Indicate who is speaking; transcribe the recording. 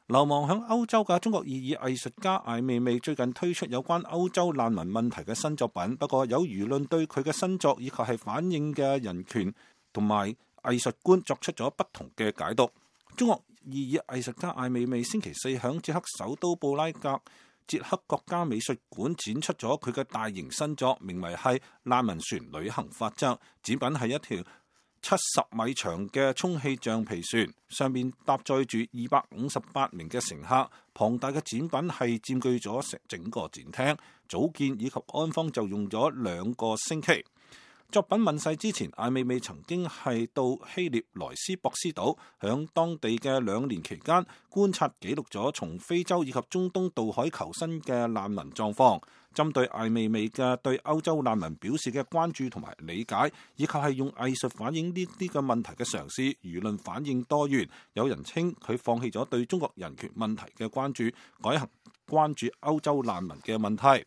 Speaker 1: 流亡響歐洲嘅中國異議藝術家艾未未最近推出有關歐洲難民問題嘅新作品，不過有輿論對佢嘅新作以及係反映嘅人權同埋藝術觀作出咗不同嘅解讀。中國異議藝術家艾未未星期四響捷克首都布拉格捷克國家美術館展出咗佢嘅大型新作，名為係《難民船旅行法則》。展品係一條70米長嘅充氣橡皮船，上面搭載住258名嘅乘客。龐大嘅展品係佔據咗整個展廳，組建以及安裝就用咗2個星期。作品問世之前，艾未未曾經係到希臘萊斯博斯島，響當地嘅2年期間觀察記錄咗從非洲以及中東渡海求生嘅難民狀況。針對艾未未嘅對歐洲難民表示嘅關注同埋理解，以及係用藝術反映呢啲嘅問題嘅嘗試，輿論反應多元。有人稱佢放棄咗對中國人權問題嘅關注，改行關注歐洲難民嘅問題。